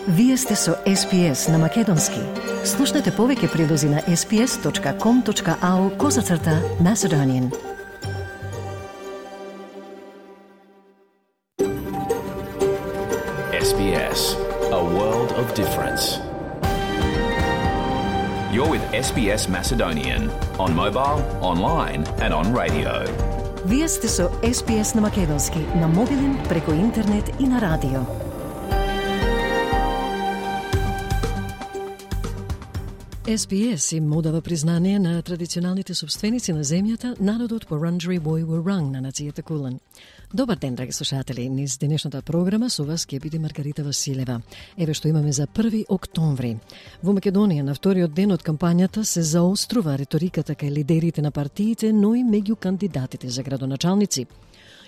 Вие сте со SPS на Македонски. Слушнете повеќе прилози на sps.com.au/Macedonian. SBS, a world of difference. You're with SBS Macedonian on mobile, online and on radio. Вие сте со SPS на Македонски на мобилен, преку интернет и на радио. SPS им одава признание на традиционалните собственици на земјата, народот Wurundjeri Woi Wurrung на нацијата Кулен. Добар ден, драги слушатели. Низ денешната програма со вас ќе биде Маргарита Василева. Еве што имаме за 1 октомври. Во Македонија на вториот ден од кампањата се заострува риториката кај лидерите на партиите, но и меѓу кандидатите за градоначалници.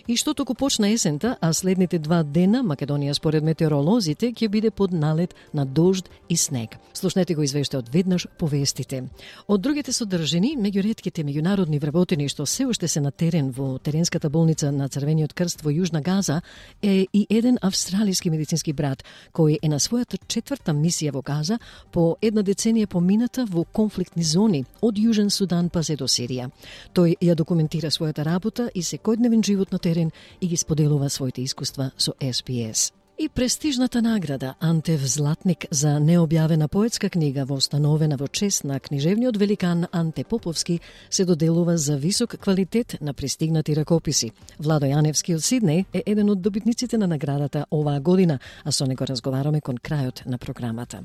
И што току почна есента, а следните 2 дена Македонија според метеоролозите ќе биде под налет на дожд и снег. Слушнете го извештајот веднаш по вестите. Од другите содржини, меѓу ретките меѓународни вработени што се уште се на терен во теренската болница на Црвениот крст во Јужна Газа е и еден австралиски медицински брат кој е на својата 4-та мисија во Газа по 1 деценија помината во конфликтни зони од Јужен Судан па се до Сирија. Тој ја документира својата работа и секојдневен живот на терен и ги споделува своите искуства со SPS. И престижната награда Антев Златник за необјавена поетска книга востановена во чест на книжевниот великан Анте Поповски се доделува за висок квалитет на пристигнати ракописи. Владо Јаневски од Сиднеј е еден од добитниците на наградата оваа година, а со него разговараме кон крајот на програмата.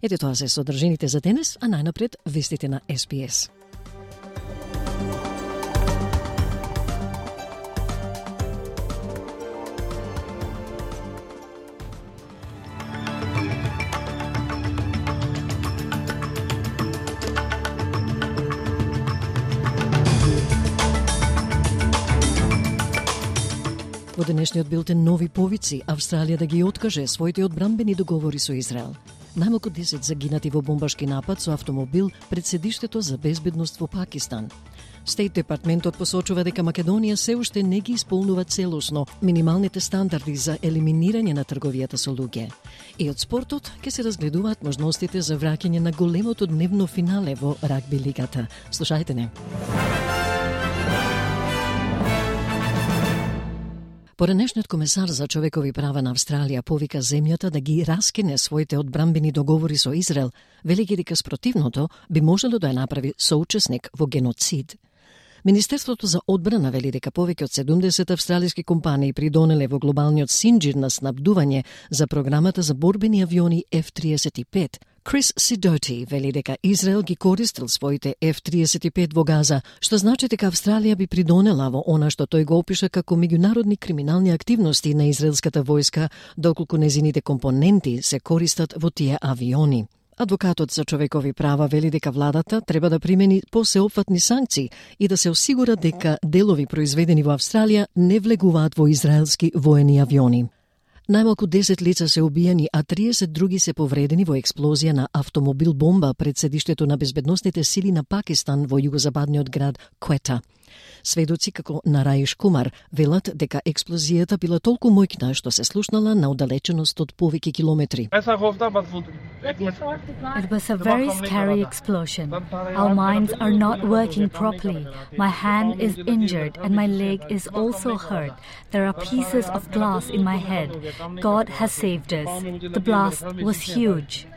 Ете тоа се содржините за денес, а најнапред вестите на SPS. Во денешниот билтен нови повици, Австралија да ги откаже своите одбранбени договори со Израел. Најмалку 10 загинати во бомбашки напад со автомобил пред седиштето за безбедност во Пакистан. Стейт департментот посочува дека Македонија се уште не ги исполнува целосно минималните стандарди за елиминирање на трговијата со луѓе. И од спортот ќе се разгледуваат можностите за враќање на големото дневно финале во рагби лигата. Слушајте не. Поранешниот комесар за човекови права на Австралија повика земјата да ги раскине своите одбранбени договори со Израел, велики дека спротивното би можело да ја направи соучесник во геноцид. Министерството за одбрана вели дека повеќе од 70 австралиски компании придонеле во глобалниот синџир на снабдување за програмата за борбени авиони F-35. Крис Сидоти вели дека Израел ги користил своите F-35 во Газа, што значи дека Австралија би придонела во она што тој го опиша како меѓународни криминални активности на израелската војска, доколку незините компоненти се користат во тие авиони. Адвокатот за човекови права вели дека владата треба да примени посеопфатни санкции и да се осигура дека делови произведени во Австралија не влегуваат во израелски воени авиони. Најмалку 10 лица се убиени, а 30 други се повредени во експлозија на автомобил бомба пред седиштето на безбедносните сили на Пакистан во југозападниот град Квета. Сведоци како Нараиш Кумар велат дека експлозијата била толку моќна што се слушнала на оддалеченост од повеќе километри. It was a very scary explosion. Our minds are not working properly. My hand is injured and my leg is also hurt. There are pieces of glass in my head. God has saved us. The blast was huge.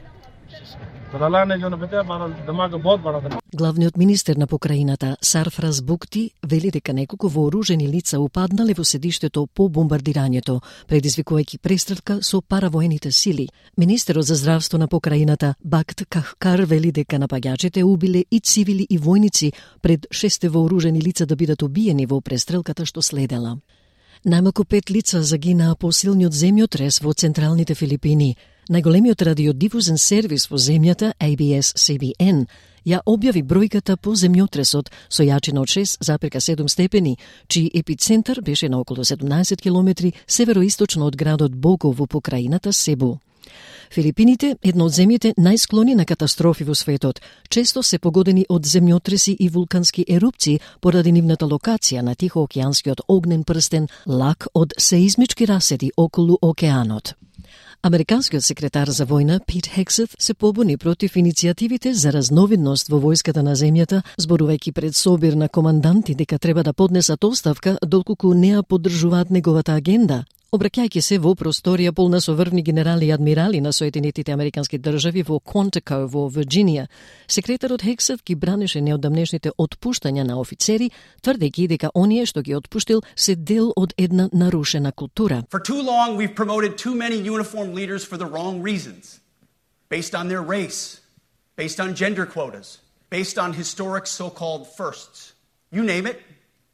Главниот министер на покраината Сарфраз Букти вели дека неколку вооружени лица упаднале во седиштето по бомбардирањето, предизвикувајќи престрелка со паравоените сили. Министерот за здравство на покраината Бакт Кахкар вели дека напаѓачите убиле и цивили и војници пред 6 вооружени лица да бидат убиени во престрелката што следела. Најмалку 5 лица загинаа по силниот земјотрес во централните Филипини. Најголемиот радиодифузен сервис во земјата, ABS-CBN, ја објави бројката по земјотресот со јачина од 6,7 степени, чиј епицентар беше на околу 17 километри североисточно од градот Бого во покраината Себу. Филипините, една од земјите најсклони на катастрофи во светот, често се погодени од земјотреси и вулкански ерупции поради нивната локација на Тихоокеанскиот огнен прстен лак од сеизмички раседи околу океанот. Американскиот секретар за војна Пит Хексет се побуни против иницијативите за разновидност во војската на земјата, зборувајќи пред собир на команданти дека треба да поднесат оставка доколку не ја поддржуваат неговата агенда. Обраќајќи се во просторија полна со врвни генерали и адмирали на Соединетите Американски држави во Quantico во Вирџинија, секретарот Хексет ги бранеше неодамнешните отпуштања на офицери, тврдејќи дека оние што ги отпуштил се дел од една нарушена култура. For too long we've promoted too many uniformed leaders for the wrong reasons, based on their race, based on gender quotas, based on historic so-called firsts. You name it,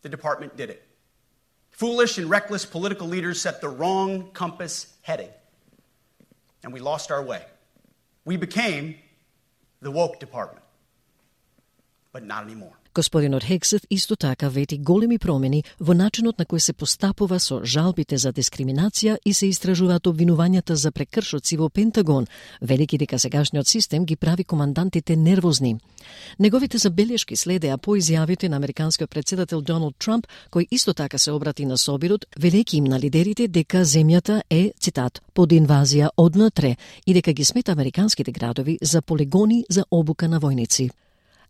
the department did it. Foolish and reckless political leaders set the wrong compass heading, and we lost our way. We became the woke department, but not anymore. Господинот Хексет исто така вети големи промени во начинот на кој се постапува со жалбите за дискриминација и се истражуваат обвинувањата за прекршоци во Пентагон, велики дека сегашниот систем ги прави командантите нервозни. Неговите забелешки следеа по изјавите на американскиот претседател Доналд Трамп, кој исто така се обрати на собирот, велејќи им на лидерите дека земјата е, цитат, под инвазија однатре и дека ги смета американските градови за полигони за обука на војници.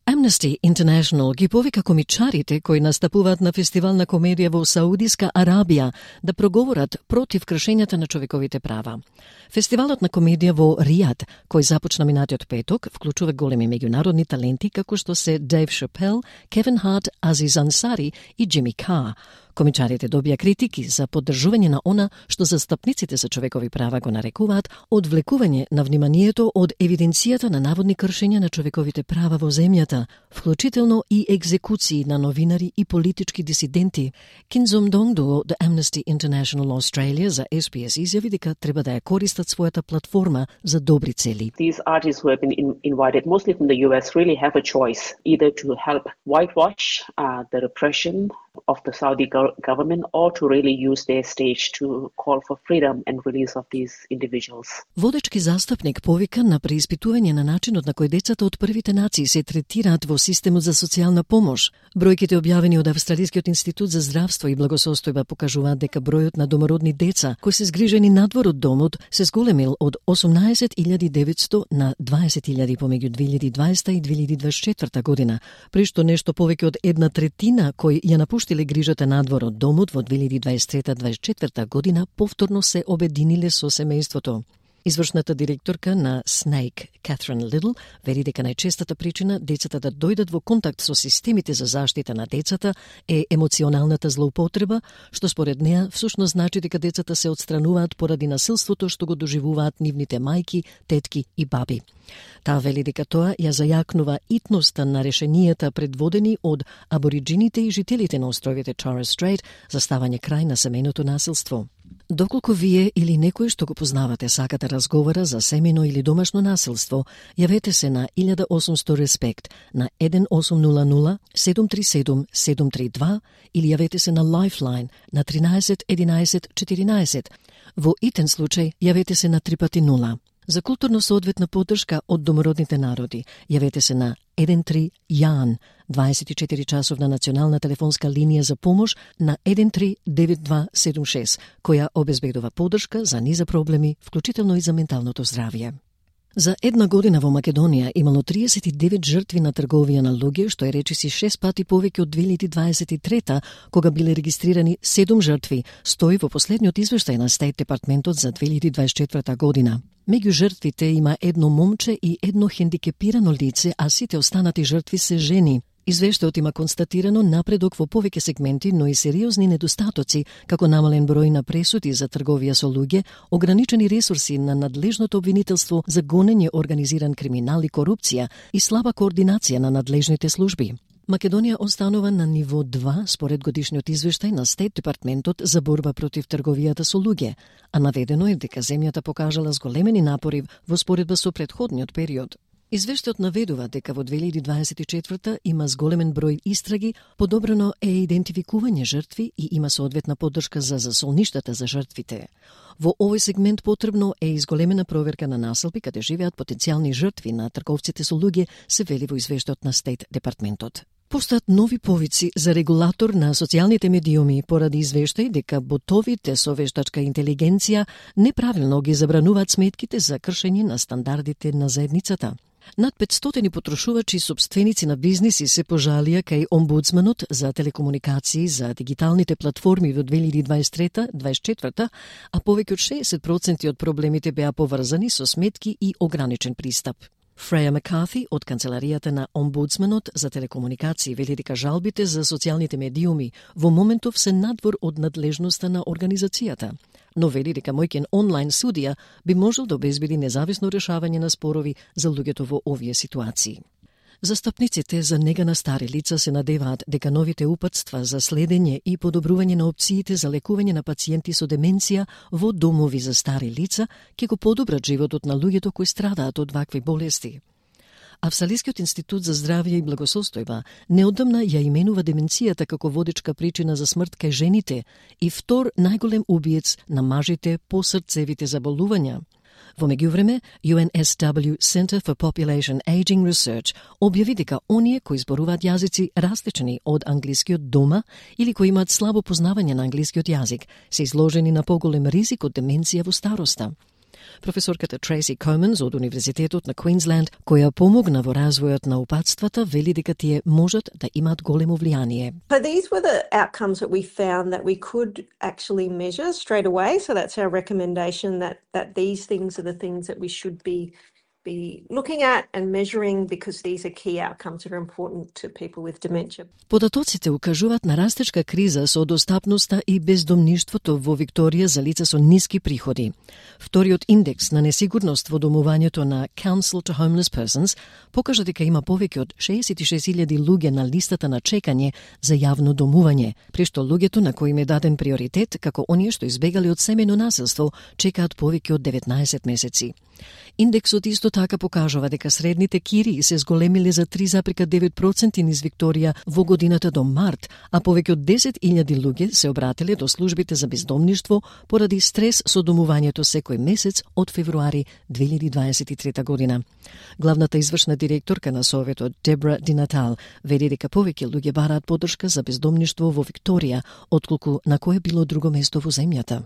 Amnesty International ги повика комичарите кои настапуваат на фестивал на комедија во Саудиска Арабија да проговорат против кршењата на човековите права. Фестивалот на комедија во Ријад, кој започна минатиот петок, вклучува големи меѓународни таленти како што се Дейв Шапел, Кевин Харт, Азиз Ансари и Джими Кар. Комичарите добија критики за поддржување на она што застапниците за човекови права го нарекуваат одвлекување на вниманието од евиденцијата на наводни кршења на човековите права во земјата, вклучително и екзекуции на новинари и политички дисиденти. Кинзом Донгдо од Amnesty International Australia за SBS изјави дека треба да ја користат својата платформа за добри цели. These artists who have been invited, mostly from the US, really have a choice either to help whitewash the repression of the Saudi government or to really use their stage to call for freedom and release of these individuals. Водечки застапник повика на преиспитување на начинот на кој децата од првите нации се третираат во системот за социјална помош. Бројките објавени од Австралискиот институт за здравство и благосостојба покажуваат дека бројот на домородни деца кои се згрижени надвор од домот се зголемил од 18.900 на 20.000 помеѓу 2020 и 2024 година, при што нешто повеќе од една третина кои ја напуштиле грижата надвор од домот во 2023-2024 година повторно се обединиле со семејството. Извршната директорка на SNAIC, Catherine Little, вери дека најчестата причина децата да дојдат во контакт со системите за заштита на децата е емоционалната злоупотреба, што според неа всушност значи дека децата се отстрануваат поради насилството што го доживуваат нивните мајки, тетки и баби. Таа вели дека тоа ја зајакнува итноста на решенијата предводени од абориджините и жителите на островите Torres Strait за ставање крај на семејното насилство. Доколку вие или некој што го познавате сака да разговара за семејно или домашно насилство, јавете се на 1800 Респект на 1800 737 732 или јавете се на Lifeline на 13 11 14. Во итен случај јавете се на 3x0. За културно соодветна поддршка од домородните народи, јавете се на 13 Јан, 24 часовна национална телефонска линија за помош на 139276, која обезбедува поддршка за низа проблеми, вклучително и за менталното здравје. За една година во Македонија имало 39 жртви на трговија на луѓе, што е речиси 6 пати повеќе од 2023, кога биле регистрирани 7 жртви, стои во последниот извештај на Стейт Департментот за 2024 година. Меѓу жртвите има едно момче и едно хендикепирано лице, а сите останати жртви се жени. Извештајот има констатирано напредок во повеќе сегменти, но и сериозни недостатоци, како намален број на пресуди за трговија со луѓе, ограничени ресурси на надлежното обвинителство за гонење организиран криминал и корупција и слаба координација на надлежните служби. Македонија останува на ниво 2 според годишниот извештај на Стейт Департментот за борба против трговијата со луѓе, а наведено е дека земјата покажала зголемени напори во споредба со претходниот период. Извештајот наведува дека во 2024 има зголемен број истраги, подобрено е идентификување жртви и има соодветна поддршка за засолништата за жртвите. Во овој сегмент потребно е изголемена проверка на населби каде живеат потенцијални жртви на трговците со луѓе, се вели во извештајот на Стейт департментот. Постојат нови повици за регулатор на социјалните медиуми поради извештај дека ботовите со вештачка интелигенција неправилно ги забрануваат сметките за кршење на стандардите на заедницата. Над 500 потрошувачи и сопственици на бизниси се пожалија кај омбудсманот за телекомуникации за дигиталните платформи во 2023-2024, а повеќе од 60% од проблемите беа поврзани со сметки и ограничен пристап. Фреја Маккарти од канцеларијата на омбудсманот за телекомуникации вели дека жалбите за социјалните медиуми во моментов се надвор од надлежноста на организацијата, но вели дека мојкен онлайн судија би можел да обезбеди независно решавање на спорови за луѓето во овие ситуации. Застапниците за нега на стари лица се надеваат дека новите упатства за следење и подобрување на опциите за лекување на пациенти со деменција во домови за стари лица ќе го подобрат животот на луѓето кои страдаат од вакви болести. Австралискиот институт за здравје и благосостојба неодамна ја именува деменцијата како водечка причина за смрт кај жените и втор најголем убиец на мажите по срцевите заболувања. Во меѓувреме, UNSW Center for Population Aging Research објави дека оние кои зборуваат јазици различни од англискиот дома или кои имаат слабо познавање на англискиот јазик се изложени на поголем ризик од деменција во староста. Професорката Трейси Команс од Универзитетот на Квинсленд, која помогна во развојот на упатствата, вели дека тие можат да имаат големо влијание. So these were the outcomes that we found that we could actually measure straight away. So that's our recommendation that these things are the things that we should be looking at and measuring because these are key outcomes that are important to people with dementia. Податоците укажуваат на растечка криза со достапноста и бездомништвото во Викторија за лица со ниски приходи. Вториот индекс на несигурност во домувањето на Council to Homeless Persons покажа дека има повеќе од 66.000 луѓе на листата на чекање за јавно домување, при што луѓето на кои им е даден приоритет, како оние што избегали од семејно насилство, чекаат повеќе од 19 месеци. Индексот исто така покажува дека средните кирии се зголемиле за 3,9% низ Викторија во годината до март, а повеќе од 10.000 луѓе се обратиле до службите за бездомништво поради стрес со домувањето секој месец од февруари 2023 година. Главната извршна директорка на Советот Дебра Ди Натал вели дека повеќе луѓе бараат поддршка за бездомништво во Викторија отколку на кое било друго место во земјата.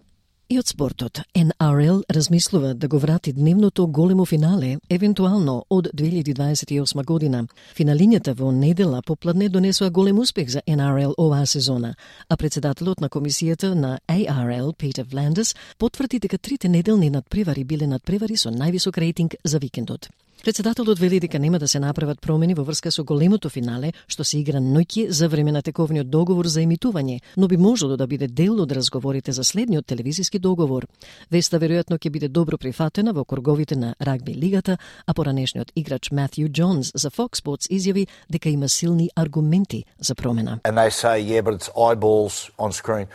И од спортот, NRL размислува да го врати дневното големо финале, евентуално од 2028 година. Финалињата во недела попладне донесува голем успех за NRL оваа сезона, а председателот на комисијата на ARL, Peter Vlandis, потврди дека трите неделни надпревари биле надпревари со највисок рейтинг за викендот. Председателот вели дека нема да се направат промени во врска со големото финале, што се игра ноќе за време на тековниот договор за емитување, но би можело да биде дел од разговорите за следниот телевизиски договор. Веста веројатно ќе биде добро прифатена во круговите на рагби лигата, а поранешниот играч Матthew Johns за Fox Sports изјави дека има силни аргументи за промена. And they say, yeah, but it's eyeballs on screen.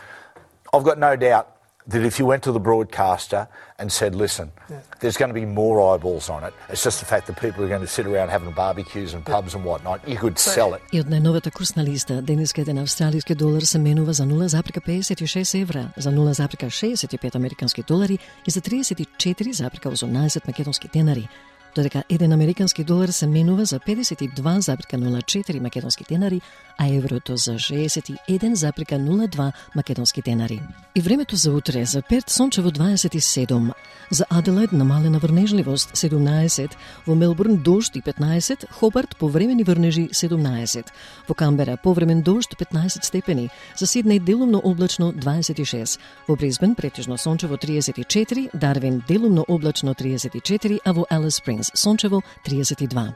I've got no doubt that if you went to the broadcaster and said, listen, there's going to be more eyeballs on it. It's just the fact that people are going to sit around having barbecues and pubs and whatnot. You could sell it. И од најновата курсна листа, денеска еден австралиски долар се менува за 0,56 евра, за 0,65 американски долари и за 34,18 македонски денари. Додека еден американски долар се менува за 52,04 македонски денари, а еврото за 61,02 македонски денари. И времето за утре: за Перт сончево 27, за Аделаид намалена врнежливост 17, во Мелбурн дожд и 15, Хобарт повремени врнежи 17, во Камбера повремен дожд 15 степени, за Сиднеј делумно облачно 26, во Брисбен претежно сончево 34, Дарвин делумно облачно 34, а во Алис Спрингс сончево 32.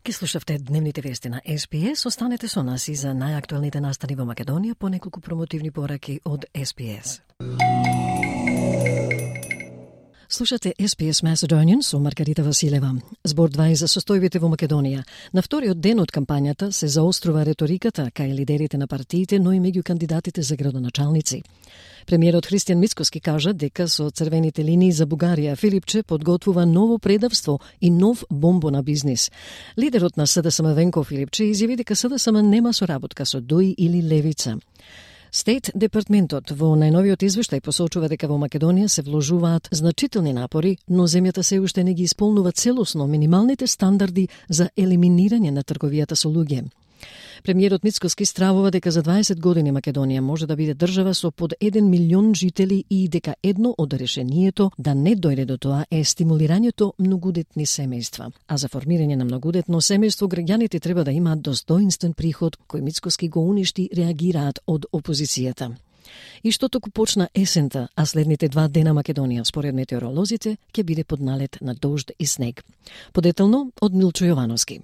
Ке слушавте дневните вести на SBS. Останете со нас и за најактуелните настани во Македонија по неколку промотивни пораки од SBS. Слушате SPS Macedonian со Маргарита Василева. Збор 2 за состојбите во Македонија. На вториот ден од кампањата се заострува реториката кај лидерите на партиите, но и меѓу кандидатите за градоначалници. Премиерот Христијан Мицкоски кажа дека со црвените линии за Бугарија Филипче подготвува ново предавство и нов бомбо на бизнис. Лидерот на СДСМ Венко Филипче изјави дека СДСМ нема соработка со ДОИ или Левица. Стейт департментот во најновиот извештај посочува дека во Македонија се вложуваат значителни напори, но земјата се уште не ги исполнува целосно минималните стандарди за елиминирање на трговијата со луѓе. Премиерот Мицкоски стравува дека за 20 години Македонија може да биде држава со под 1 милион жители и дека едно од решението да не дојде до тоа е стимулирањето многудетни семејства. А за формирање на многудетно семејство граѓаните треба да имаат достоинствен приход, кој Мицкоски го уништи, реагираат од опозицијата. И што току почна есента, а следните 2 дена Македонија, според метеоролозите, ќе биде под налет на дожд и снег. Подетелно од Милчо Јовановски.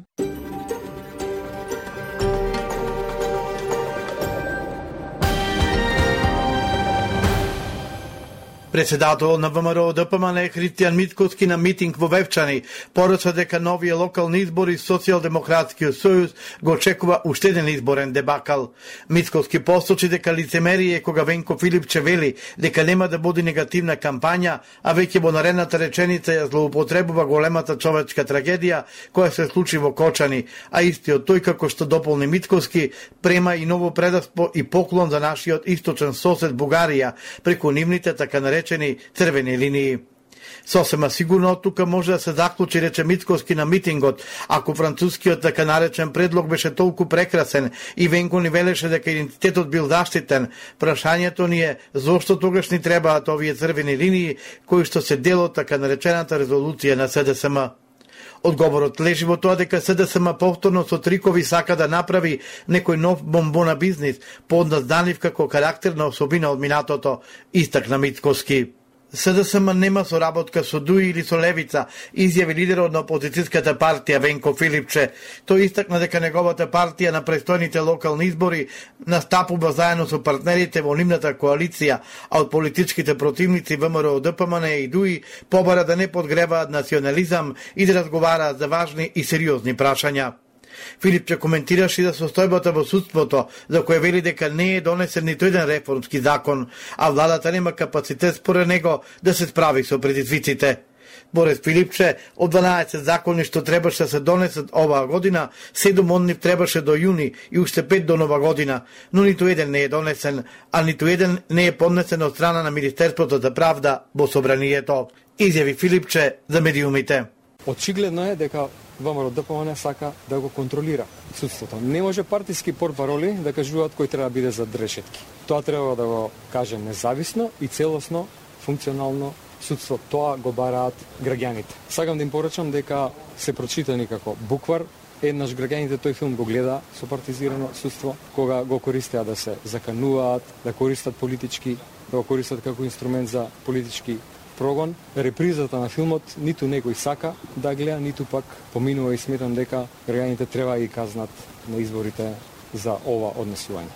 Председател на ВМРО ДПМН Христијан Мицкоски на митинг во Вевчани порача дека новите локални избори Социјалдемократскиот сојуз го очекува уште еден изборен дебакал. Мицкоски посочи дека лицемерие кога Венко Филипче вели дека нема да води негативна кампања, а веќе во наредната реченица ја злоупотребува големата човечка трагедија која се случи во Кочани, а истиот тој, како што дополни Мицкоски, према и ново предавство и поклон за нашиот источен сосед Бугарија преку нивните така наречени црвени линии. Сосема сигурно од тука може да се заклучи, рече Мицкоски на митингот, ако францускиот така наречен предлог беше толку прекрасен и Венко ни велеше дека идентитетот бил заштитен, прашањето ни е зошто тогаш ни требаат овие црвени линии кои што се дел од така наречената резолуција на СДСМ. Одговорот лежи во тоа дека СДСМ повторно со трикови сака да направи некој нов бомбо на бизнис, подназданив како карактерна особина од минатото, истакна Мицкоски. СДСМ нема соработка со ДОИ или со Левица, изјави лидерот на опозицијската партија Венко Филипче. Тој истакна дека неговата партија на престојните локални избори настапува заедно со партнерите во нивната коалиција, а од политичките противници ВМРО ДПМН и ДОИ побара да не подгреваат национализам и да разговараат за важни и сериозни прашања. Филипче коментираше за состојбата во судството, за која вели дека не е донесен ниту еден реформски закон, а владата нема капацитет според него да се справи со предизвиците. Според Филипче, од 12 закони што требаше да се донесат оваа година, 7 од нив требаше до јуни и уште 5 до нова година, но ниту еден не е донесен, а ниту еден не е поднесен од страна на Министерството за правда во собранието, изјави Филипче за медиумите. Очигледно е дека ВМРО ДПМН сака да го контролира судството. Не може партиски портпароли да кажуваат кој треба да биде зад решетки. Тоа треба да го каже независно и целосно, функционално судство. Тоа го бараат граѓаните. Сакам да им порачам дека се прочитани како буквар. Еднаш граѓаните тој филм го гледа со партизирано судство, кога го користеа да се закануваат, да користат политички, да го користат како инструмент за политички прогон. Репризата на филмот ниту некој сака да гледа, ниту пак поминува и сметам дека граѓаните треба да ги казнат на изборите за ова однесување.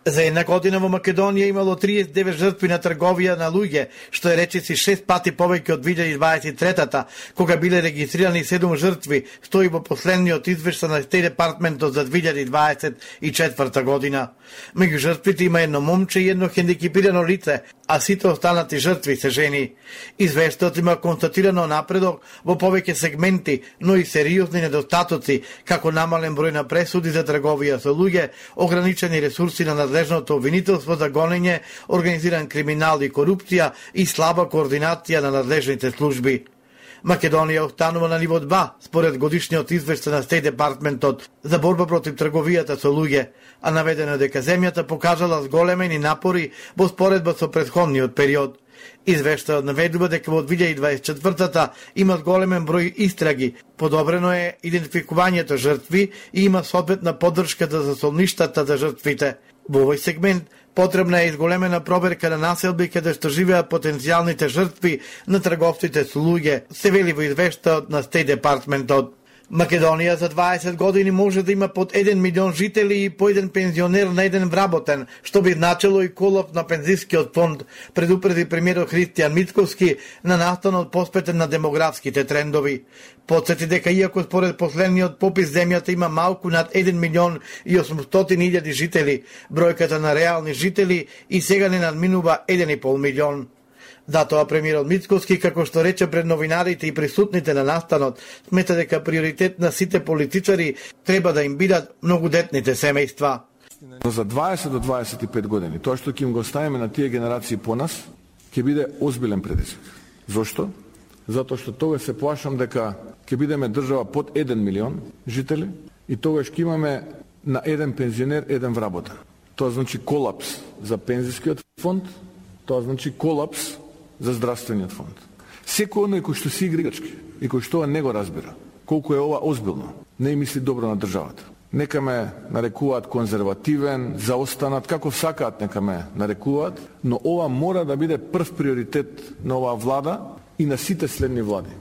За една година во Македонија имало 39 жртви на трговија на луѓе, што е речиси 6 пати повеќе од 2023-та, кога биле регистрирани 7 жртви, стои во последниот извештај на Стейт Департментот за 2024 година. Меѓу жртвите има едно момче и едно хендикепирано лице, а сите останати жртви се жени. Извештајот има констатирано напредок во повеќе сегменти, но и сериозни недостатоци, како намален број на пресуди за трговија со луѓе, ограничени ресурси на надлежното обвинителство за гонење, организиран криминал и корупција и слаба координација на надлежните служби. Македонија останува на ниво 2, според годишниот извештај на Стейт Департментот за борба против трговијата со луѓе, а наведено дека земјата покажала зголемени напори во споредба со претходниот период. Извештајот наведува дека во 2024-та има големен број истраги, подобрено е идентификувањето жртви и има соодветна поддршка за солништата за жртвите. Во овој сегмент потребна е изголемена проверка на населби каде што живеат потенцијалните жртви на трговците со луѓе, се вели во извештајот на Стейт Департментот. Македонија за 20 години може да има под 1 милион жители и по еден пензионер на еден вработен, што би значило и колап на пензискиот фонд, предупреди премиерот Христијан Мицковски на настанот посветен на демографските трендови. Подсети дека иако според последниот попис земјата има малку над 1 милион и 800 илјади жители, бројката на реални жители и сега не надминува 1,5 милион. Затоа премиерот Мицковски, како што рече пред новинарите и присутните на настанот, смета дека приоритет на сите политичари треба да им бидат многодетните семејства. За 20 до 25 години, тоа што ќе им го оставиме на тие генерации по нас, ќе биде озбилен предизвик. Зошто? Затоа што тогаш се плашам дека ќе бидеме држава под 1 милион жители и тогаш ќе имаме на еден пензионер еден вработен. Тоа значи колапс за пензискиот фонд, тоа значи колапс за здравствениот фонд. Секој оној кој што си играчки и кој што не го разбира колку е ова озбилно, не мисли добро на државата. Нека ме нарекуваат конзервативен, заостанат, како сакаат нека ме нарекуваат, но ова мора да биде прв приоритет на оваа влада и на сите следни влади.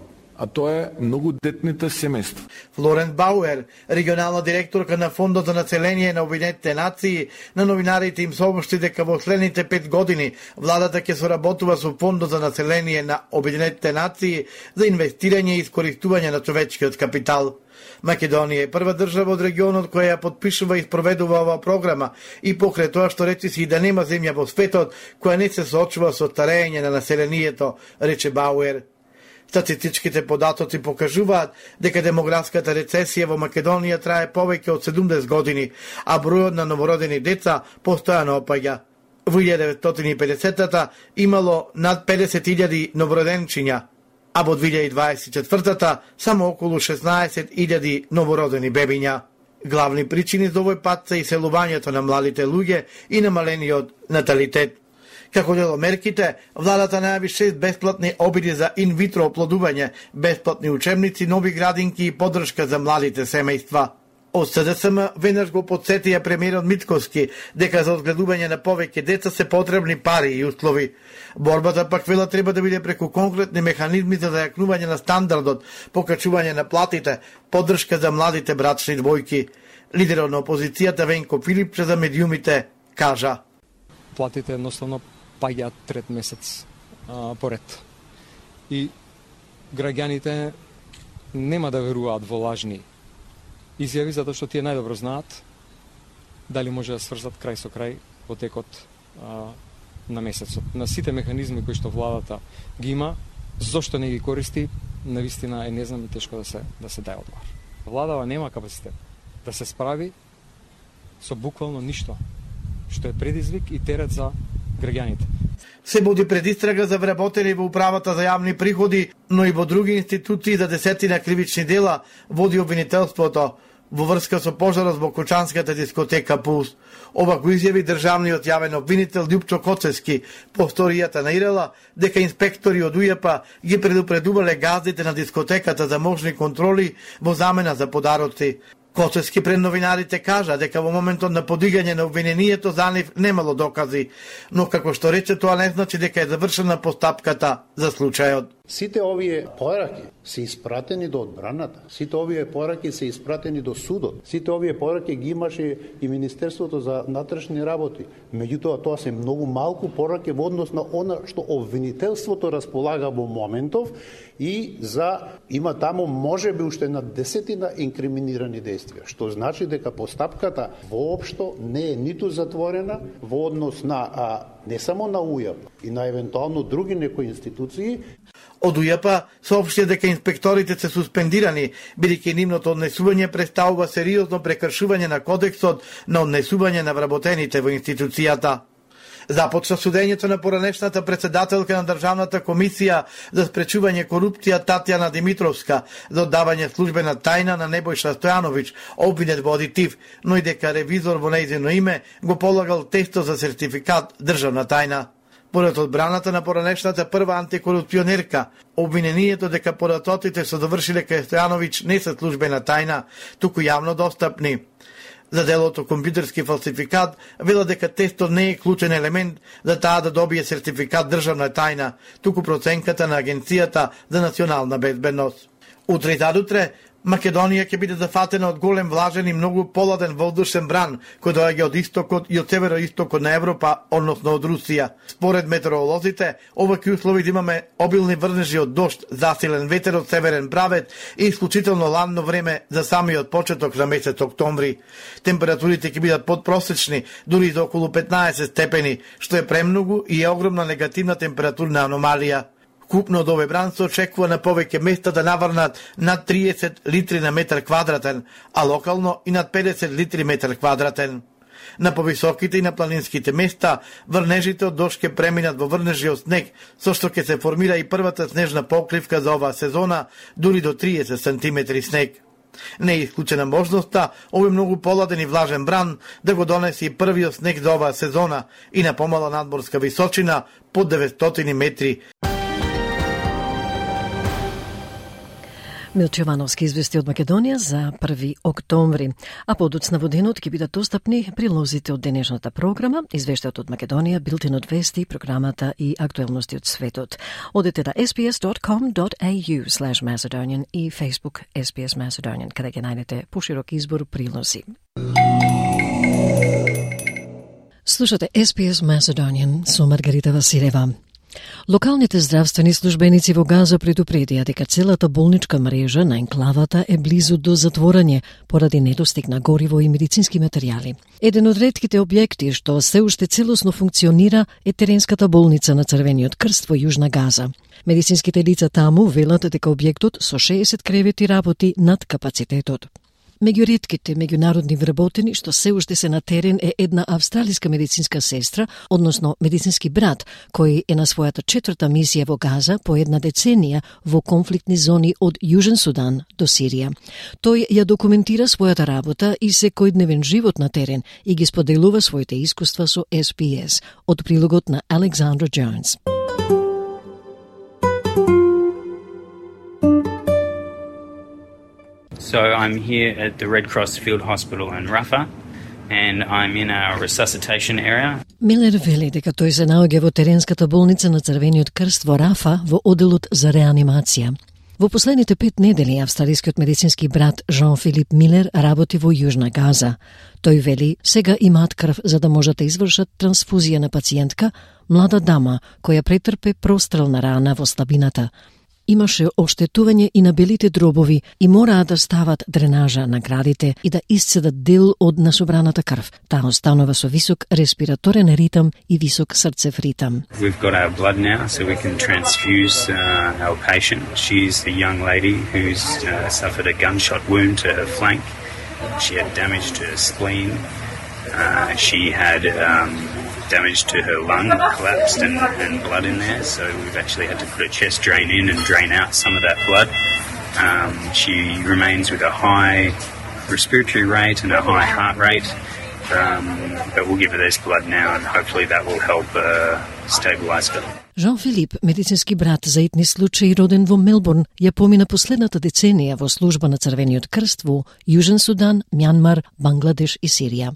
А тоа е многодетните семејства. Флоренс Бауер, регионална директорка на Фондот за население на Обединетите нации, на новинарите им сообщи дека во следните 5 години владата ќе соработува со Фондот за население на Обединетите нации за инвестирање и искористување на човечкиот капитал. Македонија е прва држава од регионот која ја подпишува и спроведува оваа програма и покрај тоа што речи си и да нема земја во светот која не се соочува со старење на населението, рече Бауер. Статистичките податоци покажуваат дека демографската рецесија во Македонија трае повеќе од 70 години, а бројот на новородени деца постојано опаѓа. Во 1950-та имало над 50.000 новороденчиња, а во 2024-та само околу 16.000 новородени бебиња. Главни причини за овој пат се иселувањето на младите луѓе и намалениот наталитет. Како дел од мерките, владата најави 6 бесплатни обиди за инвитро оплодување, бесплатни учебници, нови градинки и поддршка за младите семејства. Од СДСМ веднаш го подсетија премиерот Мицковски дека за одгледување на повеќе деца се потребни пари и услови. Борбата пак вела треба да биде преку конкретни механизми за зајакнување на стандардот, покачување на платите, поддршка за младите брачни двојки. Лидерот на опозицијата Венко Филипче за медиумите кажа: платите едноставно паѓаат трет месец поред. И граѓаните нема да веруваат во лажни изјави, затоа што тие најдобро знаат дали може да сврзат крај со крај во текот на месецот. На сите механизми кои што владата ги има, зошто не ги користи, навистина е не знам и тешко да се даде одговор. Владава нема капацитет да се справи со буквално ништо, што е предизвик и терет за граѓаните. Се буди предистрага за вработени во управата за јавни приходи, но и во други институции за десетина кривични дела води обвинителството во врска со пожарот во кочанската дискотека Пулс. Ова го изјави државниот јавен обвинител Љупчо Коцевски по сторијата на Ирела дека инспектори од УЈП ги предупредувале газдите на дискотеката за можни контроли во замена за подароци. Коцевски пред новинарите кажа дека во моментот на подигање на обвинението за нив немало докази, но како што рече тоа не значи дека е завршена постапката за случајот. Сите овие пораки се испратени до одбраната, сите овие пораки се испратени до судот, сите овие пораки ги имаше и Министерството за внатрешни работи. Меѓутоа тоа се многу малку пораки во однос на она што обвинителството располага во моментов и има таму можеби уште на десетина инкриминирани действија, што значи дека постапката воопшто не е ниту затворена во однос на не само на УЈП и на евентуално други некои институции. Од УЈП соопшти дека инспекторите се суспендирани, бидејќи нивното однесување представува сериозно прекршување на кодексот на однесување на вработените во институцијата. Започна судењето на поранешната председателка на Државната комисија за спречување корупција Татјана Димитровска за оддавање службена тајна на Небојша Стојановиќ, обвинет во адитив, но и дека ревизор во нејзино име го полагал тесто за сертификат државна тајна. Поред одбраната на поранешната прва антикорупционерка, обвинението дека податоците што довршиле кај Стојановиќ не се службена тајна, туку јавно достапни. За делото компјутерски фалсификат вела дека тестот не е клучен елемент за таа да добие сертификат државна тајна, туку проценката на Агенцијата за национална безбедност. Утре и задутре Македонија ќе биде зафатена од голем влажен и многу поладен воздушен бран, кој доаѓа од истокот и од североистокот на Европа, односно од Русија. Според метеоролозите, овакви услови да имаме обилни врнежи од дожд, засилен ветер од северен правец и исклучително ладно време за самиот почеток на месец октомври. Температурите ќе бидат подпросечни, дури до околу 15 степени, што е премногу и е огромна негативна температурна аномалија. Купно од овој бран се очекува на повеќе места да наврнат над 30 литри на метар квадратен, а локално и над 50 литри метар квадратен. На повисоките и на планинските места врнежите од дожд ќе преминат во врнежи од снег, со што ќе се формира и првата снежна покривка за оваа сезона, дури до 30 сантиметри снег. Не е исклучена можноста овој многу поладен и влажен бран да го донесе и првиот снег за оваа сезона и на помала надморска височина под 900 метри. Милче Јовановски извести од Македонија за 1 октомври, а подоцна во денот ќе бидат достапни прилозите од денешната програма, извештајот од Македонија, билтенот вести, програмата и актуелности од светот. Одете на sbs.com.au/Macedonian и Facebook SBS Macedonian, каде ќе најдете поширок избор прилози. Слушате SBS Macedonian со Маргарита Василева. Локалните здравствени службеници во Газа предупредија дека целата болничка мрежа на енклавата е близу до затворање поради недостиг на гориво и медицински материјали. Еден од ретките објекти што се уште целосно функционира е теренската болница на Црвениот крст во Јужна Газа. Медицинските лица таму велат дека објектот со 60 кревети работи над капацитетот. Меѓу ретките меѓународни вработени што се уште се на терен е една австралиска медицинска сестра, односно медицински брат, кој е на својата 4-та мисија во Газа по една деценија во конфликтни зони од Јужен Судан до Сирија. Тој ја документира својата работа и секојдневен живот на терен и ги споделува своите искуства со SBS, од прилогот на Александра Джонс. So I'm here at the Red Cross Field Hospital in Rafah, and I'm in our resuscitation area. Милер вели дека тој се наоѓа во теренската болница на Црвениот крст во Рафа во оделот за реанимација. Во последните 5 недели австралискиот медицински брат Жан-Филип Милер работи во Јужна Газа. Тој вели сега имаат крв за да можат да извршат трансфузија на пациентка, млада дама која претрпе прострелна рана во слабината. Имаше оштетување и на белите дробови и мораа да стават дренажа на градите и да исцедат дел од насобраната крв. Таа останува со висок респираторен ритам и висок срцев ритам. We've got our blood now, so we can transfuse our patient. She's a young lady who's suffered a gunshot wound to her flank. She had damage to her spleen. She had damage to her lung, collapsed and blood in there, so we've actually had to put a chest drain in and drain out some of that blood. She remains with a high respiratory rate and a high heart rate, but we'll give her this blood now and hopefully that will help stabilize her. Жан-Филип, медицински брат за етни случаи роден во Мелбурн, ја помина последната деценија во служба на Црвениот крст во Јужен Судан, Мјанмар, Бангладеш и Сирија.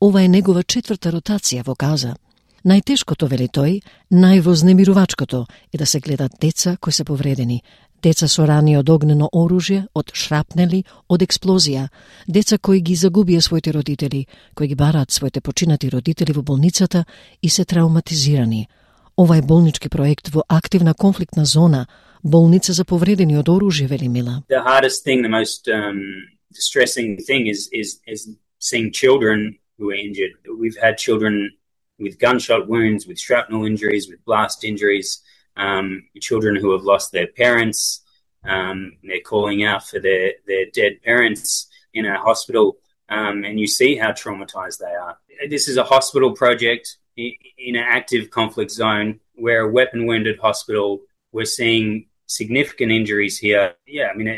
Ова е негова 4-та ротација во Газа. Најтешкото, вели тој, највознемирувачкото е да се гледат деца кои се повредени. Деца со рани од огнено оружје, од шрапнели, од експлозија. Деца кои ги загубија своите родители, кои ги бараат своите починати родители во болницата и се травматизирани. Ова е болнички проект во активна конфликтна зона, болница за повредени од оружје, вели Мила. The hardest thing, the most distressing thing is seeing children who are injured. We've had children with gunshot wounds, with shrapnel injuries, with blast injuries, children who have lost their parents. They're calling out for their dead parents in our hospital, and you see how traumatized they are. This is a hospital project in an active conflict zone. We're a weapon-wounded hospital. We're seeing significant injuries here. Yeah, I mean,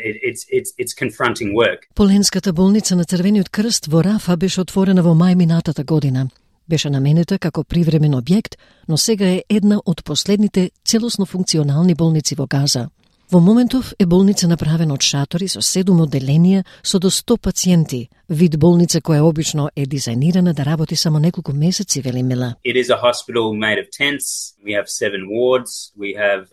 it's confronting work. Поленската болница на Црвениот крст во Рафа беше отворена во мај минатата година. Беше наменета како привремен објект, но сега е една од последните целосно функционални болници во Газа. Во моментов е болница направена од шатори со 7 одделенија со до 100 пациенти, вид болница која обично е дизајнирана да работи само неколку месеци, вели Мила. It is a hospital made of tents. We have 7 wards. We have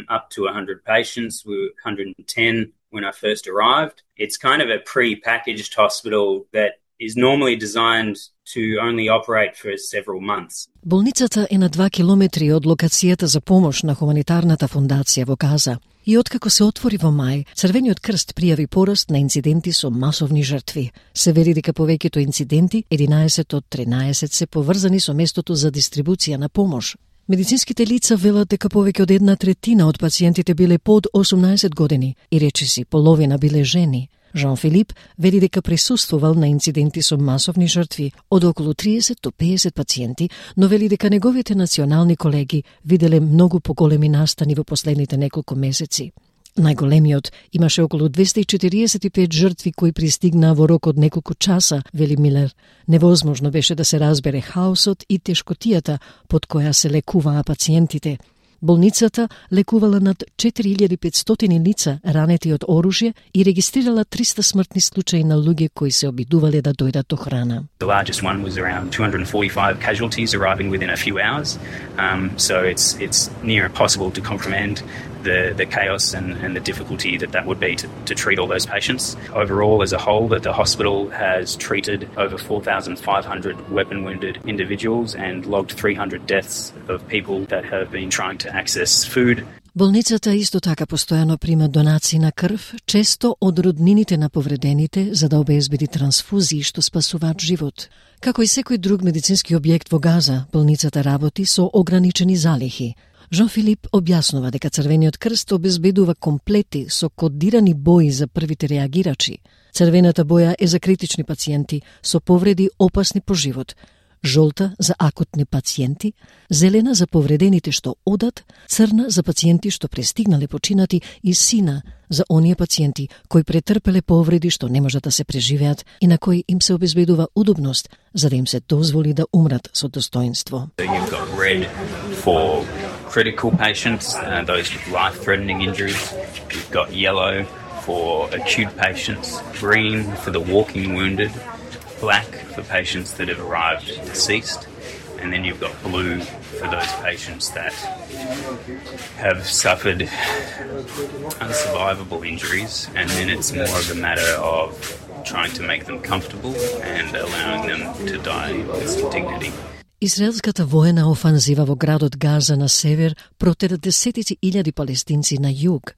up to 100 patients. 110 when I first arrived. It's kind of a pre-packaged hospital that is normally designed to only operate for several months. Болницата е на 2 километри од локацијата за помош на хуманитарната фондација во Газа. И откако се отвори во мај, Црвениот крст пријави пораст на инциденти со масовни жртви. Се вели дека повеќето инциденти, 11 од 13, се поврзани со местото за дистрибуција на помош. Медицинските лица велат дека повеќе од 1/3 од пациентите биле под 18 години и речиси половина биле жени. Жан Филип вели дека присуствувал на инциденти со масовни жртви од околу 30 до 50 пациенти, но вели дека неговите национални колеги виделе многу поголеми настани во последните неколку месеци. Најголемиот имаше околу 245 жртви кои пристигнаа во рок од неколку часа, вели Милер. Невозможно беше да се разбере хаосот и тешкотијата под која се лекуваа пациентите. Болницата лекувала над 4500 лица ранети од оружје и регистрирала 300 смртни случаи на луѓе кои се обидувале да дојдат до храна. The largest one was around 245 casualties arriving within a few hours. So it's near impossible to comprehend the chaos and the difficulty that would be to treat all those patients. Overall, as a whole, that the hospital has treated over 4,500 weapon-wounded individuals and logged 300 deaths of people that have been trying to access food. Болницата исто така постојано прима донации на крв, често од роднините на повредените, за да обезбеди трансфузии што спасуваат живот. Како и секој друг медицински објект во Газа, болницата работи со ограничени залихи. Жан Филип објаснува дека Црвениот крст обезбедува комплети со кодирани бои за првите реагирачи. Црвената боја е за критични пациенти со повреди опасни по живот, жолта за акутни пациенти, зелена за повредените што одат, црна за пациенти што пристигнале починати и сина за оние пациенти кои претрпеле повреди што не можат да се преживеат и на кои им се обезбедува удобност за да им се дозволи да умрат со достоинство. You've got red for critical patients, those with life-threatening injuries. You've got yellow for acute patients, green for the walking wounded, black for patients that have arrived deceased, and then you've got blue for those patients that have suffered unsurvivable injuries, and then it's more of a matter of trying to make them comfortable and allowing them to die with some dignity. Израелската воена офанзива во градот Газа на север протера десетици илјади палестинци на југ.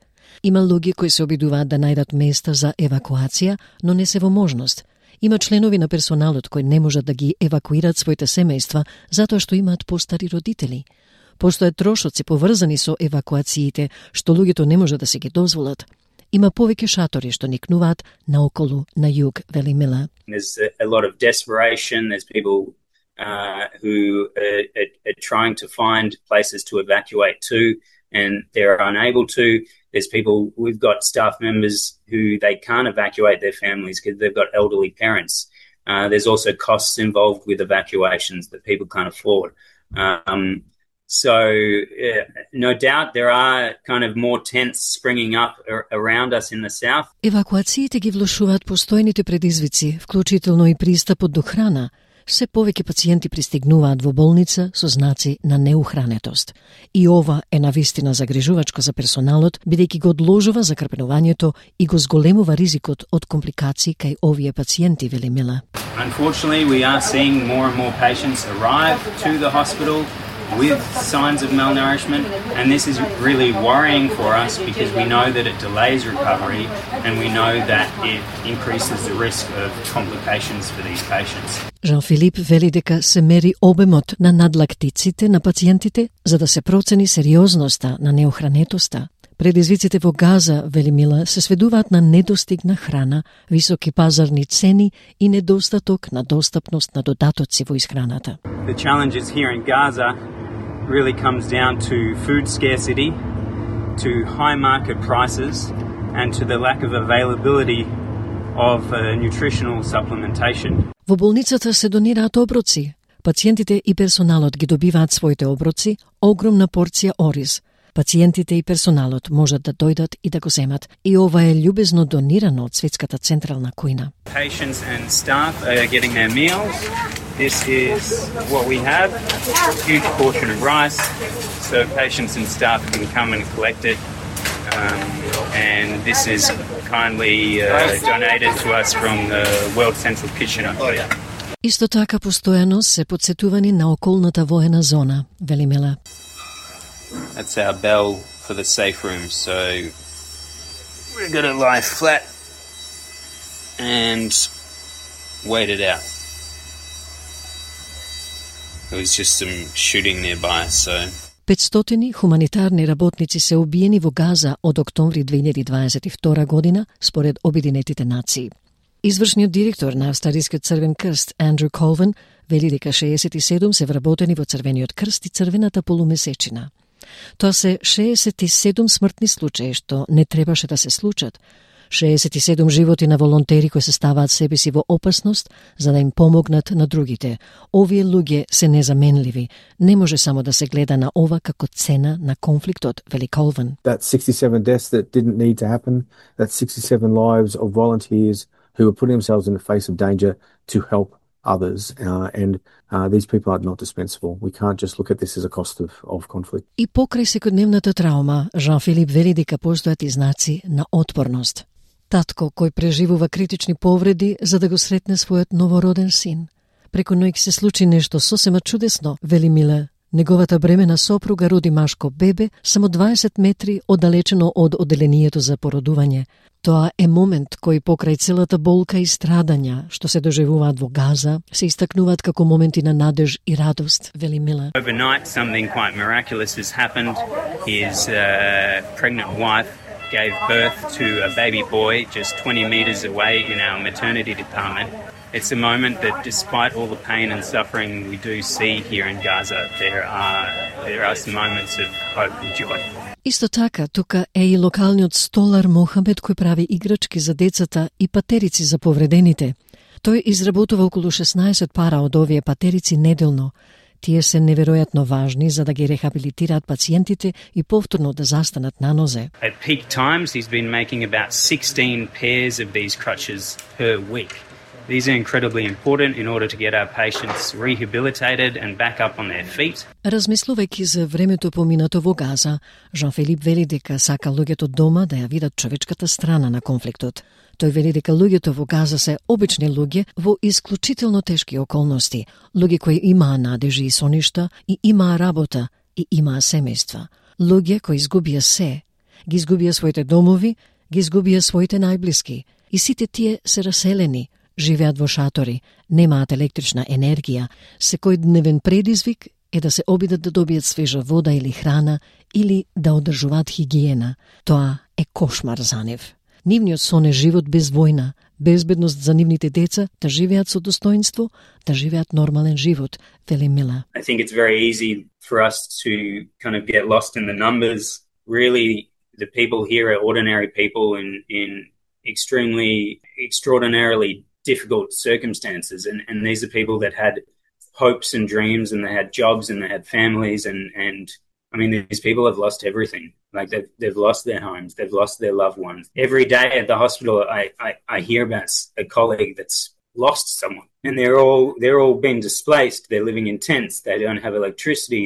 Има луѓе кои се обидуваат да најдат места за евакуација, но не се во можност. Има членови на персоналот кои не можат да ги евакуират своите семејства затоа што имаат постари родители. Постојат трошоци поврзани со евакуациите што луѓето не можат да се ги дозволат. Има повеќе шатори што никнуваат наоколу на југ, вели Мила. There's a lot of desperation. There's people who are trying to find places to evacuate to, and they're unable to. There's people, we've got staff members who they can't evacuate their families because they've got elderly parents. There's also costs involved with evacuations that people can't afford. So no doubt there are kind of more tents springing up around us in the south. Евакуациите ги влошуваат постојните предизвици, вклучително и пристапот до храна. Се повеќе пациенти пристигнуваат во болница со знаци на неухранетост. И ова е навистина загрижувачко за персоналот, бидејќи го одложува закрпенувањето и го зголемува ризикот од компликации кај овие пациенти, вели Мила. Unfortunately, we are seeing more and more patients arrive to the hospital with signs of malnourishment, and this is really worrying for us because we know that it delays recovery and we know that it increases the risk of complications for these patients. Жан Филип вели дека се мери обемот на надлактиците на пациентите за да се процени сериозноста на неохранетоста. Предизвиците во Газа, вели Мила, се сведуваат на недостиг на храна, високи пазарни цени и недостаток на достапност на додатоци во исхраната. The challenges here in Gaza really comes down to food scarcity, to high market prices, and to the lack of availability of nutritional supplementation. Во болницата се донираат оброци. Пациентите и персоналот ги добиваат своите оброци, огромна порција ориз. Пациентите и персоналот можат да дојдат и да го земат. И ова е љубезно донирано од Светската централна кујна. Patients and staff are getting their meals. This is what we have, a huge portion of rice, so patients and staff can come and collect it. And this is kindly donated to us from the World Central Kitchen. Исто така постојано се подсетувани на околната воена зона, вели Мила. That's our bell for the safe room, so we're going to lie flat and wait it out. There was just some shooting nearby, so... 500 хуманитарни работници се убиени во Газа од октомври 2022 година, според Обединетите нации. Извршниот директор на Австралискиот Црвен крст, Андрю Колвин, вели дека 67 се вработени во Црвениот крст и Црвената полумесечина. Тоа се 67 смртни случаи што не требаше да се случат. 67 животи на волонтери кои се ставаат себе си во опасност за да им помогнат на другите. Овие луѓе се незаменливи. Не може само да се гледа на ова како цена на конфликтот, вели Колвин. That's 67 deaths that didn't need to happen. That's 67 lives of volunteers who were putting themselves in the face of danger to help others, and these people are not dispensable. We can't just look at this as a cost of conflict. И покрај секојдневната траума, Жан-Филип вели дека постојат и знаци на отпорност. Татко кој преживува критични повреди за да го сретне својот новороден син. Преку ноќ се случи нешто сосема чудесно, вели Мила. Неговата бремена сопруга роди машко бебе само 20 метри оддалечено од оделението за породување. Тоа е момент кој покрај целата болка и страдања што се доживуваат во Газа, се истакнуваат како моменти на надеж и радост, вели Мила. Overnight, something quite miraculous has happened. His pregnant wife gave birth to a baby boy just 20 meters away in our maternity department. It's a moment that despite all the pain and suffering we do see here in Gaza, there are some moments of hope and joy. Исто така, тука е и локалниот столар Мохамед кој прави играчки за децата и патерици за повредените. Тој изработува околу 16 пара од овие патерици неделно. Тие се неверојатно важни за да ги рехабилитираат пациентите и повторно да застанат на нозе. At peak times, he's been making about 16 pairs of these crutches per week. These are incredibly important in order to get our patients rehabilitated and back up on their feet. Размислувајќи за времето поминато во Газа, Жан-Филип вели дека сака луѓето дома да ја видат човечката страна на конфликтот. Тој вели дека луѓето во Газа се обични луѓе во исклучително тешки околности, луѓе кои имаа надежи и соништа и имаа работа и имаа семејства. Луѓе кои изгубија се, ги изгубија своите домови, ги изгубија своите најблиски и сите тие се раселени, живеат во шатори, немаат електрична енергија, секојдневен предизвик е да се обидат да добијат свежа вода или храна или да одржуваат хигиена. Тоа е кошмар за нив. Нивниот сон е живот без војна, безбедност за нивните деца, да живеат со достоинство, да живеат нормален живот, вели Мила. I think it's very easy for us to kind of get lost in the numbers. Really, the people here are ordinary people in extraordinarily difficult circumstances, and these are people that had hopes and dreams, and they had jobs, and they had families, and I mean, these people have lost everything. Like they've lost their homes, they've lost their loved ones. Every day at the hospital, I hear about a colleague that's lost someone, and they're all being displaced. They're living in tents. They don't have electricity.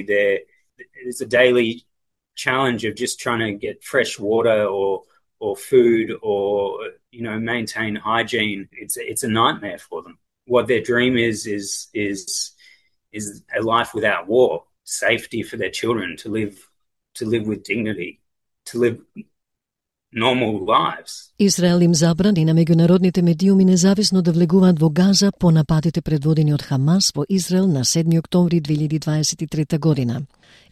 It's a daily challenge of just trying to get fresh water or food or maintain hygiene. It's a nightmare for them. What their dream is a life without war, safety for their children, to live with dignity, to live normal lives. Израел им забрани на меѓународните медиуми независно да влегуваат во Газа по нападите предводени од Хамас во Израел на 7 октомври 2023 година.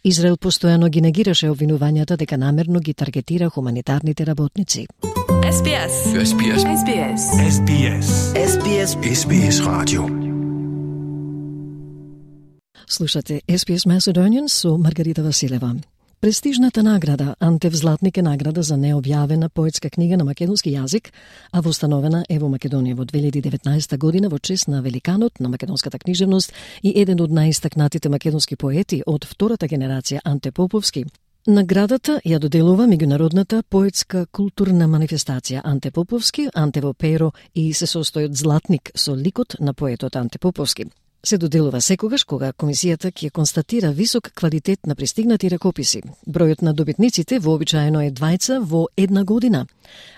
Израел постојано ги негираше обвинувањата дека намерно ги таргетира хуманитарните работници. SBS. SBS. SBS. SBS. SBS. SBS Radio. Слушате SBS Macedonian со Маргарита Василева. Престижната награда Антев Златник е награда за необјавена поетска книга на македонски јазик, а востановена е во Македонија во 2019 година во чест на великанот на македонската книжевност и еден од најистакнатите македонски поети од втората генерација Анте Поповски. Наградата ја доделува меѓународната поетска културна манифестација Анте Поповски, Антево перо и се состои од златник со ликот на поетот Анте Поповски. се доделува секогаш кога комисијата ќе констатира висок квалитет на пристигнати ракописи. Бројот на добитниците вообичаено е 2 во една година.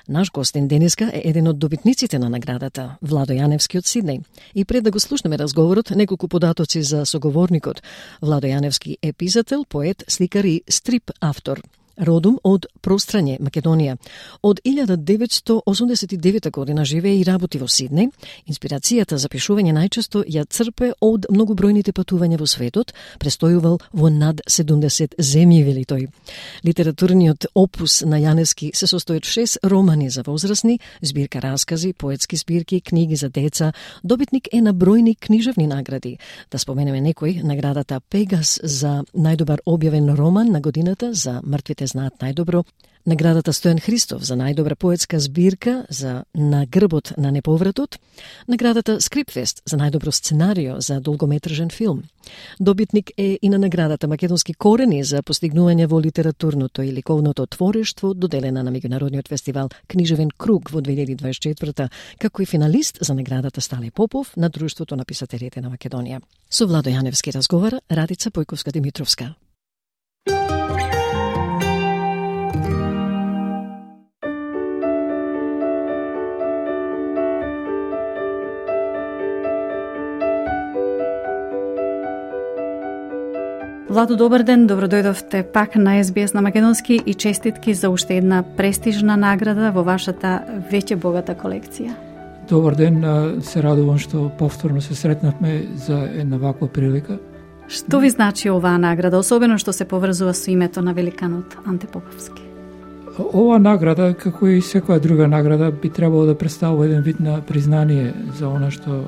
Наш гостин денеска е еден од добитниците на наградата, Владо Јаневски од Сиднеј. И пред да го слушнеме разговорот, неколку податоци за соговорникот. Владо Јаневски е писател, поет, сликар и стрип автор. Родом од Прострање, Македонија. Од 1989 година живее и работи во Сиднеј. Инспирацијата за пишување најчесто ја црпе од многобројните патувања во светот, престојувал во над 70 земји, вели тој. Литературниот опус на Јаневски се состои од 6 романи за возрастни, збирка раскази, поетски збирки, книги за деца. Добитник е на бројни книжевни награди. Да споменеме некој, наградата Пегас за најдобар објавен роман на годината за Мртвите знаат најдобро, наградата Стојан Христов за најдобра поетска збирка за На грбот на неповратот, наградата Скрипфест за најдобро сценарио за долгометражен филм. Добитник е и на наградата Македонски корени за постигнување во литературното и ликовното творештво, доделена на меѓународниот фестивал Книжевен круг во 2024, како и финалист за наградата Стале Попов на Друштвото на писателите на Македонија. Со Владо Јаневски разговара Радица Појковска-Димитровска. Владо, добар ден, добро дојдовте пак на SBS на македонски и честитки за уште една престижна награда во вашата веќе богата колекција. Добар ден, се радувам што повторно се сретнавме за една ваква прилика. Што ви значи оваа награда, особено што се поврзува со името на великанот Анте Поповски? Оваа награда, како и секоја друга награда, би требало да представува еден вид на признание за она што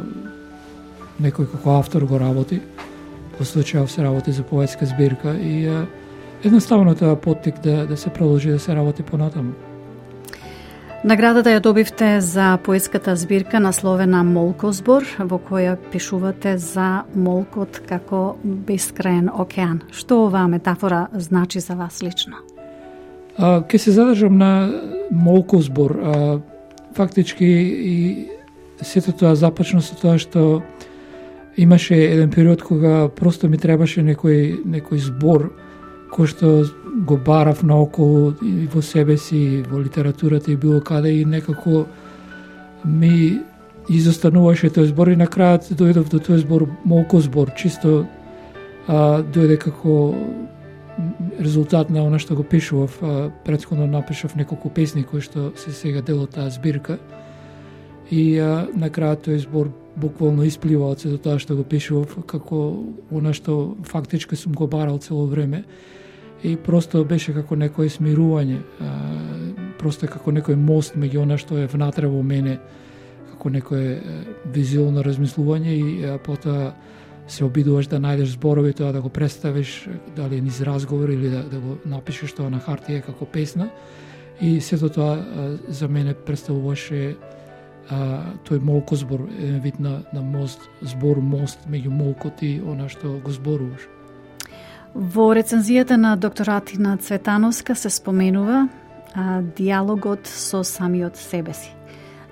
некој како автор го работи. Во случајов се работи за поетска збирка и едноставно тоа поттик да се продолжи да се работи понатаму. Наградата ја добивте за поетската збирка насловена Молкозбор, во која пишувате за молкот како бескраен океан. Што оваа метафора значи за вас лично? Ке се задржам на Молкозбор. Фактички и сето тоа започна со тоа што имаше еден период кога просто ми требаше некој збор кој што го барав наоколу и во себе си, во литературата и било каде и некако ми изостануваше тој збор и на крајот дојдов до тој збор Молкозбор, чисто дојде како резултат на она што го пишував. Претходно напишав неколку песни кои што се сега дел од таа збирка и на крајот тој збор буквално исплива од сето тоа што го пишував, како она што фактички сум го барал цело време и просто беше како некое смирување, просто како некој мост меѓу она што е внатре во мене, како некое визуелно размислување и потоа се обидуваш да најдеш зборови, тоа да го представиш, дали низ разговор или да го напишеш тоа на хартија како песна и сето тоа за мене представуваше тој молкозбор, еден вид на мост, збор мост меѓу молкот и она што го зборуваш. Во рецензијата на докторатина Цветановска се споменува диалогот со самиот себе си.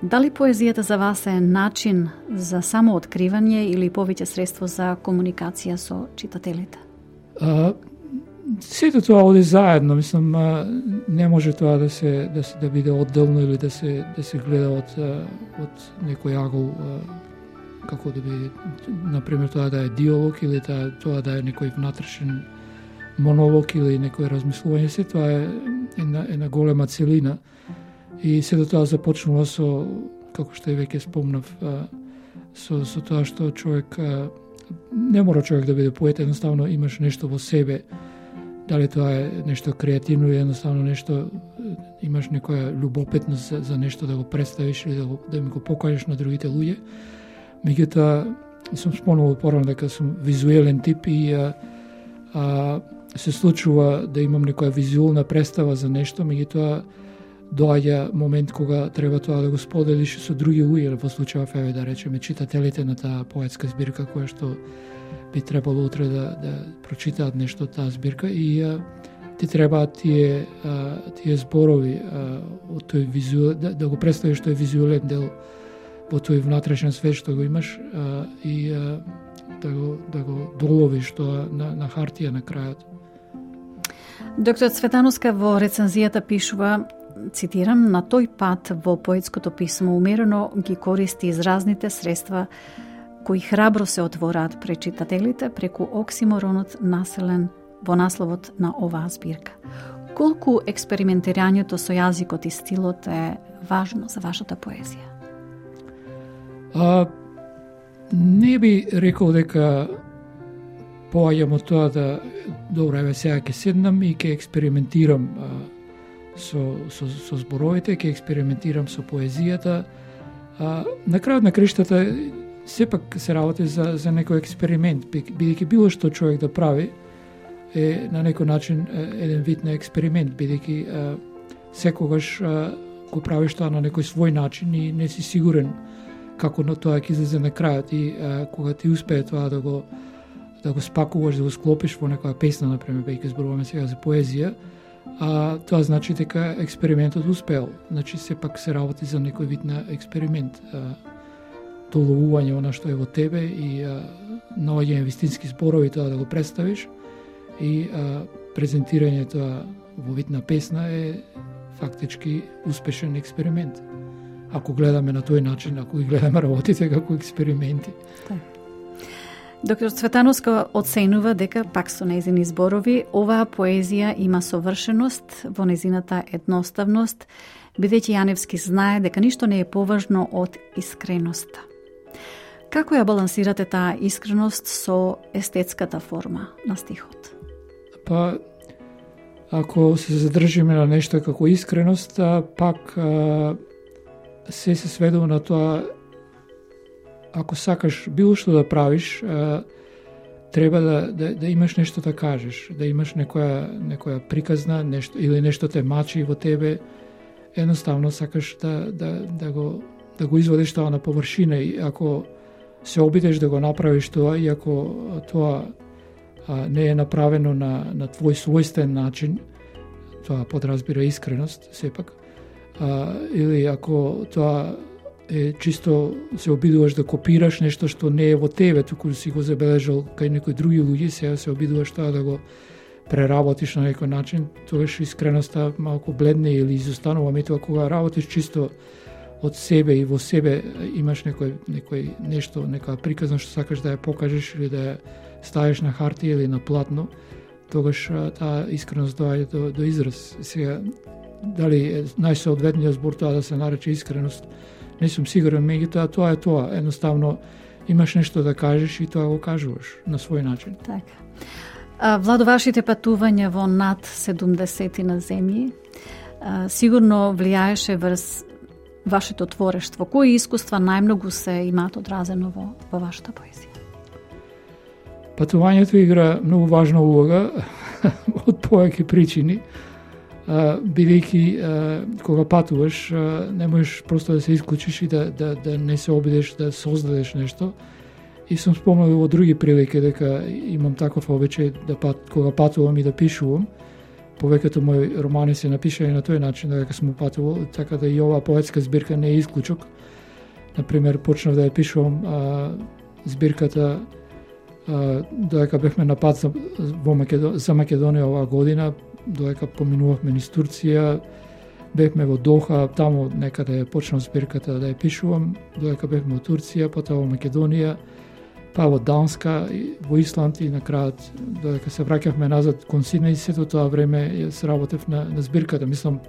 Дали поезијата за вас е начин за самооткривање или повеќе средство за комуникација со читателите? Сето тоа оди заедно, мислам, не може тоа да биде одделно или да се гледа од некој агол, како да биде, например, тоа да е диалог или тоа да е некој внатрешен монолог или некој размислување. Се тоа е една голема целина и сето тоа започнува со, како што и веќе спомнав, со тоа што човек, не мора човек да биде поет, едноставно имаш нешто во себе. Дали тоа е нешто креативно или едноставно нешто, имаш некоја љубопитност за нешто да го представиш или да ми го покажеш на другите луѓе. Меѓутоа, сум спомнал порано дека сум визуелен тип и се случува да имам некоја визуелна представа за нешто, меѓутоа доаѓа момент кога треба тоа да го споделиш со други луѓе, во случајов еве да речеме читателите на таа поетска збирка која што би требало утре да прочитаат нешто од таа збирка и ти треба тие зборови од тој визуел, да го представиш тој визуелен дел во тој внатрешен свет што го имаш и да го доловиш тоа на хартија на крајот. Доктор Цветановска во рецензијата пишува, цитирам, на тој пат во поетското писмо умерено ги користи изразните средства кои храбро се отвораат пред читателите преку оксиморонот населен во насловот на оваа збирка. Колку експериментирањето со јазикот и стилот е важно за вашата поезија? Не би рекол дека поаѓам од тоа да добро, еве сега ќе седнам и ќе експериментирам со зборовите, ќе експериментирам со поезијата. На крајот на криштата сепак се работи за некој експеримент, бидејќи било што човек да прави е на некој начин еден вид на експеримент, бидејќи секогаш го правиш тоа на некој свој начин и не си сигурен како на тоа ќе излезе на крајот и кога ти успее тоа да го спакуваш, да го склопиш во некоја песна, например, бидејќи зборуваме сега за поезија, тоа значи дека експериментот успеал. Значи сепак се работи за некој вид на експеримент. Доловување она што е во тебе и наоѓање вистински зборови, тоа да го представиш и презентирање тоа во вид на песна е фактички успешен експеримент. Ако гледаме на тој начин, ако ги гледаме работите како експерименти. Да. Доктор Цветановска оценува дека, пак со нејзини зборови, оваа поезија има совршеност во нејзината едноставност, бидејќи Јаневски знае дека ништо не е поважно од искреноста. Како ја балансирате таа искреност со естетската форма на стихот? Па, ако се задржиме на нешто како искреност, пак се сведува на тоа, ако сакаш било што да правиш, треба да имаш нешто да кажеш, да имаш некоја приказна, нешто или нешто те мачи во тебе, едноставно сакаш да го извадиш тоа на површина и ако се обидеш да го направиш тоа и ако тоа не е направено на твој својствен начин, тоа подразбира искреност сепак, или ако тоа е чисто се обидуваш да копираш нешто што не е во тебе, туку си го забележал кај некои други луѓе, сега се обидуваш тоа да го преработиш на некој начин, тогаш искреноста малку бледне или изостанува. Меѓутоа кога работиш чисто од себе и во себе имаш некој нешто, некоја приказна што сакаш да ја покажеш или да ја ставиш на хартија или на платно, тогаш таа искреност доаѓа до израз. Сега дали е најсоодветниот збор тоа да се нарече искреност, не сум сигурен, меѓутоа тоа е тоа. Едноставно имаш нешто да кажеш и тоа го кажуваш на свој начин. Така. Владо, вашите патувања во над 70 на земји сигурно влијаеше врз вашето творештво. Кои искуства најмногу се имаат одразено во вашата поезија? Патувањето игра многу важна улога од повеќе причини. Бидејќи кога патуваш не можеш просто да се исклучиш и да не се обидеш да создадеш нешто. И сум спомнал во други прилики дека имам таков обичај кога патувам и да пишувам. Повеќето мои романи се напишани на тој начин дека сум патувал, така да и оваа поетска збирка не е исклучок. Например, почнав да ја пишувам збирката додека бевме на пат за Македонија оваа година, додека поминувавме низ Турција, бевме во Доха, таму некаде почнав збирката да ја пишувам, додека бевме во Турција, потоа во Македонија, па во Данска, во Исланд и на крајот, додека се враќавме назад кон Сиднеј, сето тоа време се работев на збирката. Мислам,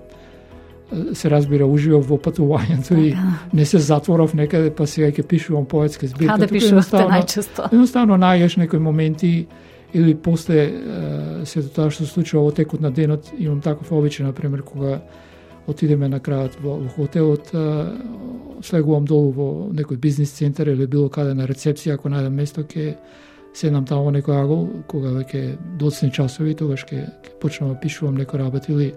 се разбира, уживав во патувањето и не се затворав некаде, па сега ќе пишувам поетска збирка. Каде пишувате најчесто? Едноставно најдеш некои моменти или после сето тоа што се случува во текот на денот. Имам таков обичај, например, кога отидеме на крајот во хотелот, слегувам долу во некој бизнис центар или било каде на рецепција, ако најдам место, ќе седнам таму во некој агол, кога веќе доцни часови, тогаш ќе почнам да пишувам некој работ или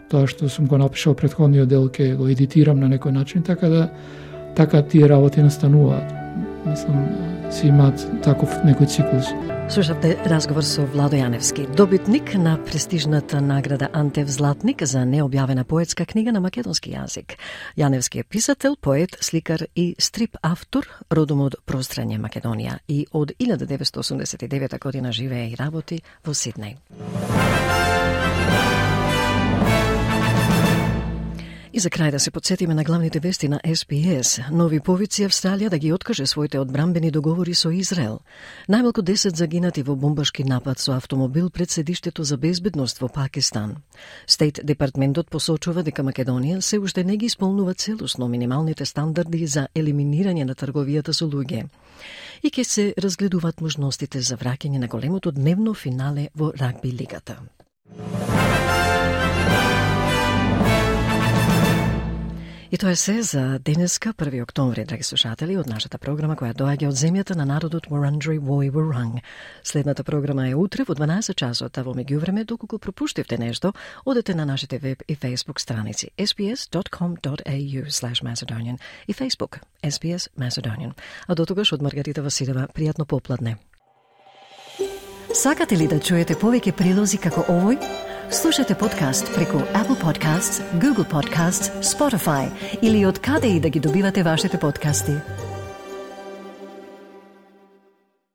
тоа што сум го напишал претходниот дел ќе го едитирам на некој начин, така тие работи настануваат. Мислам, си имаат таков некој циклус. Слушавте разговор со Владо Јаневски, добитник на престижната награда Антев Златник за необјавена поетска книга на македонски јазик. Јаневски е писател, поет, сликар и стрип автор, родом од Прострање, Македонија, и од 1989 година живее и работи во Сиднеј. И за крај да се подсетиме на главните вести на SPS. Нови повици Австралија да ги откаже своите одбранбени договори со Израел. Најмалку 10 загинати во бомбашки напад со автомобил пред седиштето за безбедност во Пакистан. Стейт департментот посочува дека Македонија се уште не ги исполнува целосно минималните стандарди за елиминирање на трговијата со луѓе. И ќе се разгледуваат можностите за враќање на големото дневно финале во рагби лигата. И тоа е се за денеска, 1 октомври, драги слушатели, од нашата програма која доаѓа од земјата на народот Wurundjeri Woi Wurrung. Следната програма е утре во 12 часот, а во меѓувреме, доколку пропуштивте нешто, одете на нашите веб и Facebook страници sbs.com.au/Macedonian и Facebook SBS Macedonian. А до тогаш од Маргарита Василева, пријатно попладне. Сакате ли да чуете повеќе прилози како овој? Слушате подкаст преку Apple Podcasts, Google Podcasts, Spotify или од каде и да ги добивате вашите подкасти.